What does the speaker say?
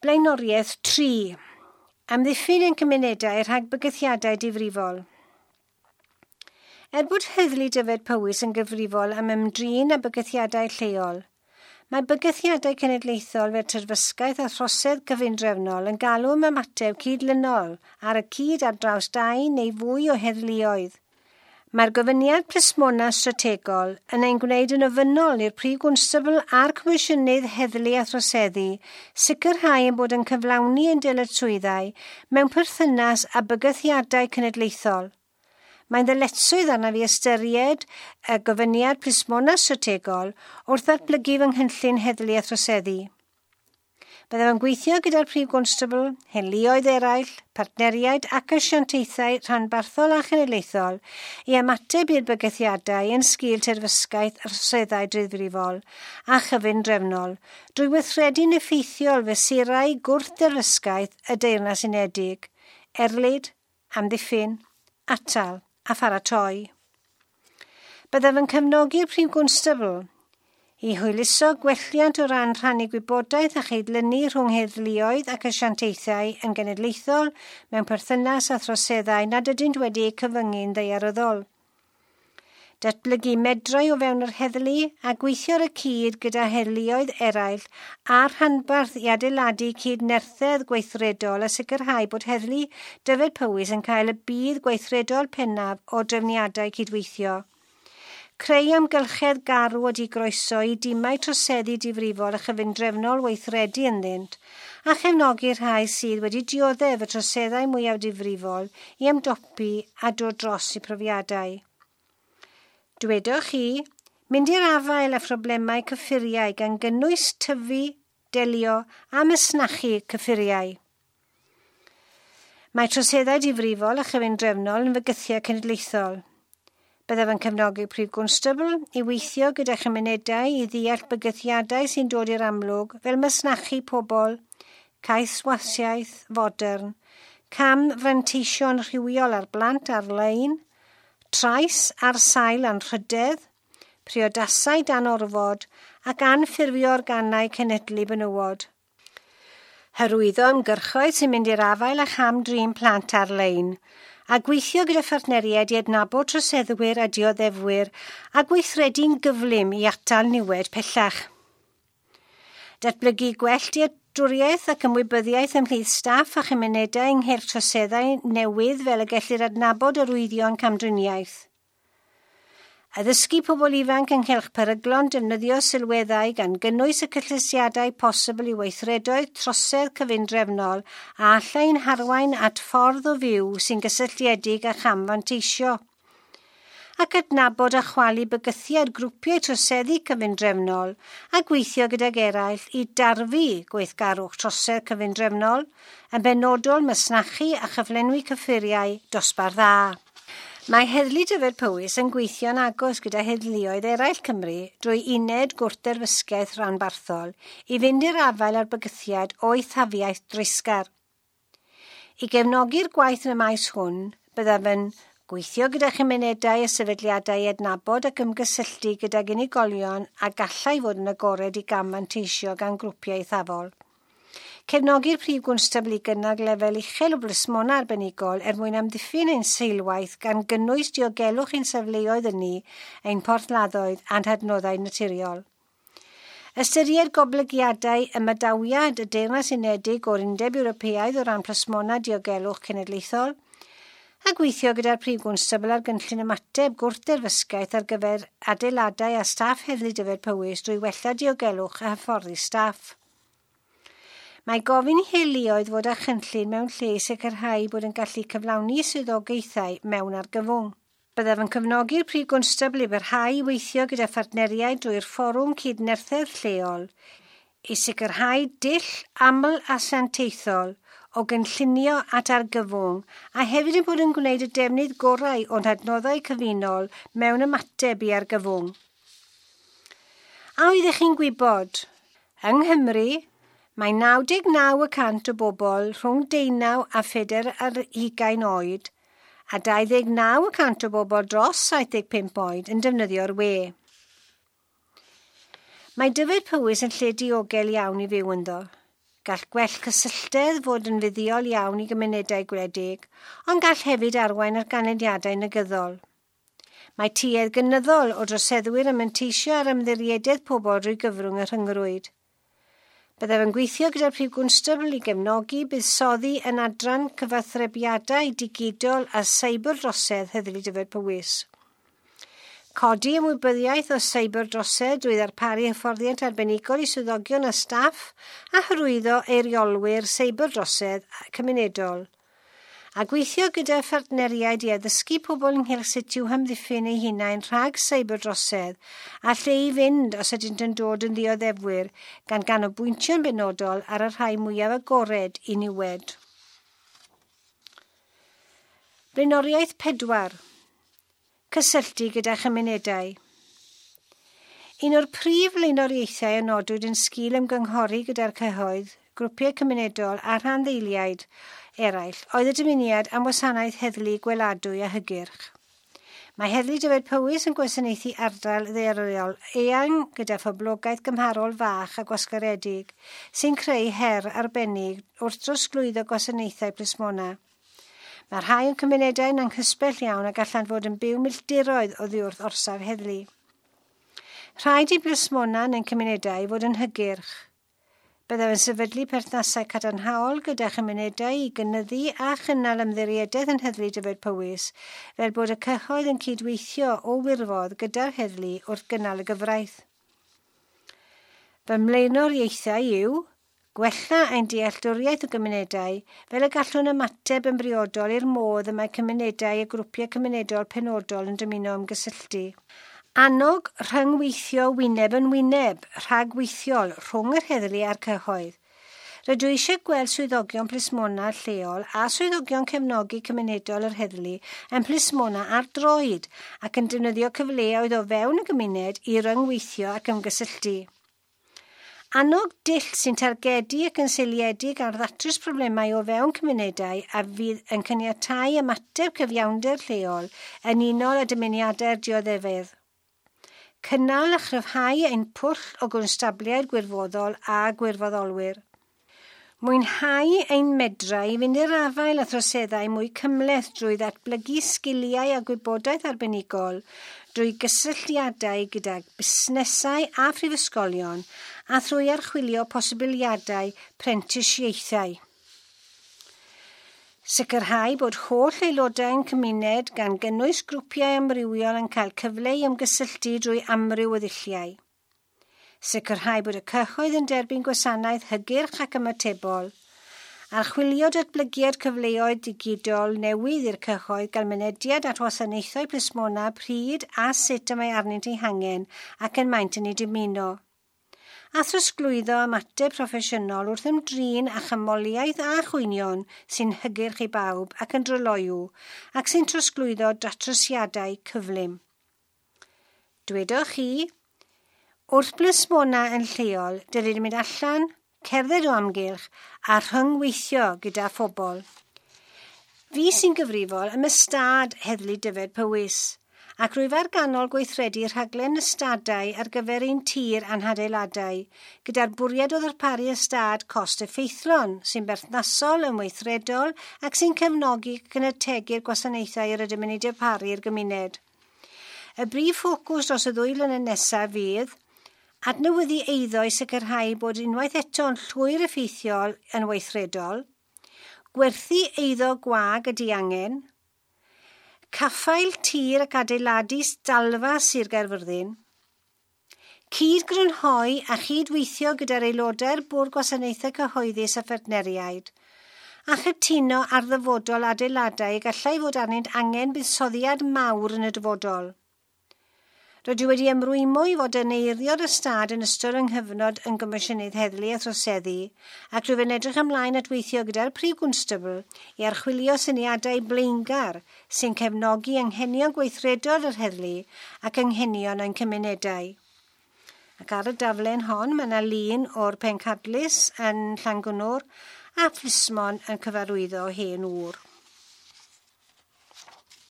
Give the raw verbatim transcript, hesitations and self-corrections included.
Blaenoriaeth tri. Amddiffyn ein cymunedau rhag bygythiadau difrifol. Er bod Heddlu Dyfed Powys yn gyfrifol am ymdrin â bygythiadau lleol, mae bygythiadau cenedlaethol fel terfysgaeth a throsedd gyfundrefnol yn galw am ymateb cydlynol ar y cyd ar draws dau neu fwy o heddluoedd. Mae'r gofyniad plismona strategol yn ein gwneud yn ofynnol i'r Prif Gwnstabl a'r Comisiynydd Heddlu a Throseddu sicrhau ein bod yn cyflawni ein dyletswyddau mewn perthynas â bygythiadau cenedlaethol. Mae'n ddyletswydd arnaf i ystyried y gofyniad plismona strategol wrth ddatblygu fy nghynllun heddlu a throseddu. Byddaf yn gweithio gyda'r Prif Gwnstabl, heddluoedd eraill, partneriaid ac asiantaethau rhanbarthol a chenedlaethol i ymateb i'r bygythiadau yn sgil terfysgaeth a throseddau difrifol a chyfundrefnol drwy weithredu'n effeithiol fesurau gwrth-derfysgaeth y Deyrnas Unedig, erlid, amddiffyn, atal a pharatoi. Byddaf yn cefnogi'r Prif Gwnstabl i hwyluso gwelliant o ran rhannu gwybodaeth a chydlynu rhwng heddluoedd ac asiantaethau yn genedlaethol mewn perthynas â throseddau nad ydynt wedi eu cyfyngu'n ddaearyddol. Datblygu medrau o fewn yr heddlu a gweithio ar y cyd gyda heddluoedd eraill a'r rhanbarth i adeiladu cydnerthedd gweithredol a sicrhau bod Heddlu Dyfed Powys yn cael y budd gweithredol pennaf o drefniadau cydweithio. Creu amgylchedd garw a digroeso i dimau troseddu difrifol a chyfundrefnol weithredu ynddynt, a chefnogi'r rhai sydd wedi dioddef y troseddau mwyaf difrifol i ymdopi a dod dros eu profiadau. Dwedwch chi, mynd i'r afael â phroblemau cyffuriau gan gynnwys tyfu, delio a masnachu cyffuriau. Mae troseddau difrifol a chyfundrefnol yn fygythiad cenedlaethol. Byddaf yn cefnogi Prif Gwnstabl i weithio gyda chymunedau i ddeall bygythiadau sy'n dod i'r amlwg fel masnachu pobl, caethwasiaeth fodern, cam fanteisio'n rhywiol ar blant ar-lein, trais ar sail anrhydedd, priodasau dan orfod ac anffurfio organau cenedlu benywod. Hyrwyddo ymgyrchoedd sy'n mynd i'r afael â cham-drin plant ar-lein, a gweithio gyda phartneriaid i adnabod troseddwyr a dioddefwyr a gweithredu'n gyflym i atal niwed pellach. Datblygu gwell dealltwriaeth ac ymwybyddiaeth ymhlith staff a chymunedau ynghylch troseddau newydd fel y gellir adnabod arwyddion camdriniaeth. Addysgu pobl ifanc ynghylch peryglon defnyddio sylweddau gan gynnwys y cysylltiadau posibl i weithredoedd trosedd cyfundrefnol a allai'n harwain at ffordd o fyw sy'n gysylltiedig â chamfanteisio. Ac adnabod a chwalu bygythiad grwpiau troseddu cyfundrefnol a gweithio gydag eraill i darfu gweithgarwch trosedd cyfundrefnol, yn benodol masnachu a chyflenwi cyffuriau dosbarth A. Mae Heddlu Dyfed Powys yn gweithio'n agos gyda heddluoedd eraill Cymru drwy uned gwrthderfysgaeth rhanbarthol i fynd i'r afael â'r bygythiad o eithafiaeth dreisgar. I gefnogi'r gwaith yn y maes hwn, byddaf yn gweithio gyda chymunedau a sefydliadau i adnabod ac ymgysylltu gydag unigolion a gallai fod yn agored i gam-fanteisio gan grwpiau eithafol. Cefnogi'r Prif Gwnstabl i gynnal lefel uchel o blismona arbenigol er mwyn amddiffyn ein seilwaith gan gynnwys diogelwch ein safleoedd ynni, ein porthladdoedd a'n hadnoddau naturiol. Ystyried goblygiadau ymadawiad y Deyrnas Unedig o'r Undeb Ewropeaidd o ran plismona diogelwch cenedlaethol, a gweithio gyda'r Prif Gwnstabl ar gynllun ymateb gwrthderfysgaeth ar gyfer adeiladau a staff Heddlu Dyfed Powys drwy wella diogelwch a hyfforddi staff. Mae gofyn i heddluoedd fod â chynllun mewn lle i sicrhau bod yn gallu cyflawni swyddogaethau mewn argyfwng. Byddaf yn cefnogi'r Prif Gwnstabl i barhau i weithio gyda phartneriaid drwy'r Fforwm Cydnerthedd Lleol i sicrhau dull aml-asiantaethol o gynllunio at argyfwng a hefyd yn bod yn gwneud y defnydd gorau o'n hadnoddau cyfunol mewn ymateb i argyfwng. A oeddech chi'n gwybod? Yng Nghymru, mae naw deg naw y cant o bobl rhwng deunaw a phedair ar hugain oed a dau ddeg naw y cant o bobl dros saith deg pump oed yn defnyddio'r we. Mae Dyfed Powys yn lle diogel iawn i fyw ynddo. Gall gwell cysylltedd fod yn fuddiol iawn i gymunedau gwledig, ond gall hefyd arwain ar ganlyniadau negyddol. Mae tuedd gynyddol o droseddwyr yn manteisio ar ymddiriededd pobl drwy gyfrwng y rhyngrwyd. Byddaf yn gweithio gyda'r Prif Gwnstabl i gefnogi buddsoddi yn adran cyfathrebiadau digidol a seiberdrosedd Heddlu Dyfed-Powys. Codi ymwybyddiaeth o seiberdrosedd drwy ddarparu hyfforddiant arbenigol i swyddogion a staff a hyrwyddo eiriolwyr seiberdrosedd cymunedol. A gweithio gyda phartneriaid i addysgu pobl ynghylch sut i'w hamddiffyn eu hunain rhag seiberdrosedd a lle i fynd os ydynt yn dod yn ddioddefwyr gan ganolbwyntio'n benodol ar y rhai mwyaf agored i niwed. Blaenoriaeth pedwar. Cysylltu gyda chymunedau. Un o'r prif flaenoriaethau a nodwyd yn sgil ymgynghori gyda'r cyhoedd, grwpiau cymunedol a rhanddeiliaid eraill oedd y dymuniad am wasanaeth heddlu gweladwy a hygyrch. Mae Heddlu Dyfed-Powys yn gwasanaethu ardal ddaearyddol eang gyda phoblogaeth gymharol fach a gwasgaredig, sy'n creu her arbennig wrth drosglwyddo gwasanaethau plismona. Mae rhai o'n cymunedau'n anghysbell iawn a gallant fod yn byw milltiroedd oddi wrth orsaf heddlu. Rhaid i blismona yn ein cymunedau fod yn hygyrch. Byddaf yn sefydlu perthnasau cadarnhaol gyda chymunedau i gynyddu a chynnal ymddiriedaeth yn Heddlu Dyfed-Powys, fel bod y cyhoedd yn cydweithio o wirfodd gyda'r heddlu wrth gynnal y gyfraith. Fy mlaenoriaethau yw gwella ein dealltwriaeth o gymunedau fel y gallwn ymateb yn briodol i'r modd y mae cymunedau a grwpiau cymunedol penodol yn dymuno ymgysylltu. Annog rhyngweithio wyneb yn wyneb, rhagweithiol rhwng yr heddlu a'r cyhoedd. Rydw i eisiau gweld swyddogion plismona lleol a swyddogion cefnogi cymunedol yr heddlu yn plismona ar droed ac yn defnyddio cyfleoedd o fewn y gymuned i ryngweithio ac ymgysylltu. Annog dull sy'n targedu ac yn seiliedig ar ddatrys problemau o fewn cymunedau a fydd yn caniatáu ymateb cyfiawnder lleol yn unol â dymuniadau'r dioddefydd. Cynnal a chryfhau ein pwll o gwnstabliaid gwirfoddol a gwirfoddolwyr. Mwynhau ein medrau i fynd i'r afael â throseddau mwy cymhleth drwy ddatblygu sgiliau a gwybodaeth arbenigol drwy gysylltiadau gyda busnesau a phrifysgolion a thrwy archwilio posibiliadau prentisiaethau. Sicrhau bod holl aelodau'n cymuned gan gynnwys grwpiau amrywiol yn cael cyfle i ymgysylltu drwy amryw o ddulliau. Sicrhau bod y cyhoedd yn derbyn gwasanaeth hygyrch ac ymatebol. Archwilio datblygiad cyfleoedd digidol newydd i'r cyhoedd gael mynediad at wasanaethau plismona pryd a sut y mae arnynt eu hangen ac yn maent yn ei dymuno. A throsglwyddo ymateb proffesiynol wrth ymdrin â chymoliaeth a chwynion sy'n hygyrch i bawb ac yn dryloyw ac sy'n trosglwyddo datrysiadau cyflym. Dwedoch chi, wrth blismona yn lleol, dylid mynd allan, cerdded o amgylch a rhyngweithio gyda phobl. Fi sy'n gyfrifol am ystâd Heddlu Dyfed-Powys, ac rwyf ar ganol gweithredu rhaglen ystadau ar gyfer ein tir a'n hadeiladau, gyda'r bwriad o ddarparu ystâd cost effeithlon sy'n berthnasol yn weithredol ac sy'n cefnogi ac yn ategu'r gwasanaethau yr ydym yn eu darparu i'r gymuned. Y brif ffocws dros y ddwy flynedd nesaf fydd adnewyddu eiddo i sicrhau bod unwaith eto'n llwyr effeithiol yn weithredol, gwerthu eiddo gwag y diangen, caffael tir ac adeiladu stalfa Sir Gaerfyrddin, cyd-grynhoi a chydweithio gyda'r aelodau'r Bwrdd Gwasanaethau Cyhoeddus a Phartneriaid, a chytuno ar ddyfodol adeiladau y gallai fod arnynt angen buddsoddiad mawr yn y dyfodol. Rydw i wedi ymrwymo i fod yn eirio'r ystâd yn ystod yng nghyfnod yn Gomisiynydd Heddlu a Throseddu, ac rwyf yn edrych ymlaen at weithio gyda'r Prif Gwnstabl i archwilio syniadau blaengar sy'n cefnogi anghenion gweithredol yr heddlu ac anghenion ein cymunedau. Ac ar y daflen hon mae yna lun o'r pencadlys yn Llangunnor a phlismon yn cyfarwyddo hen ŵr.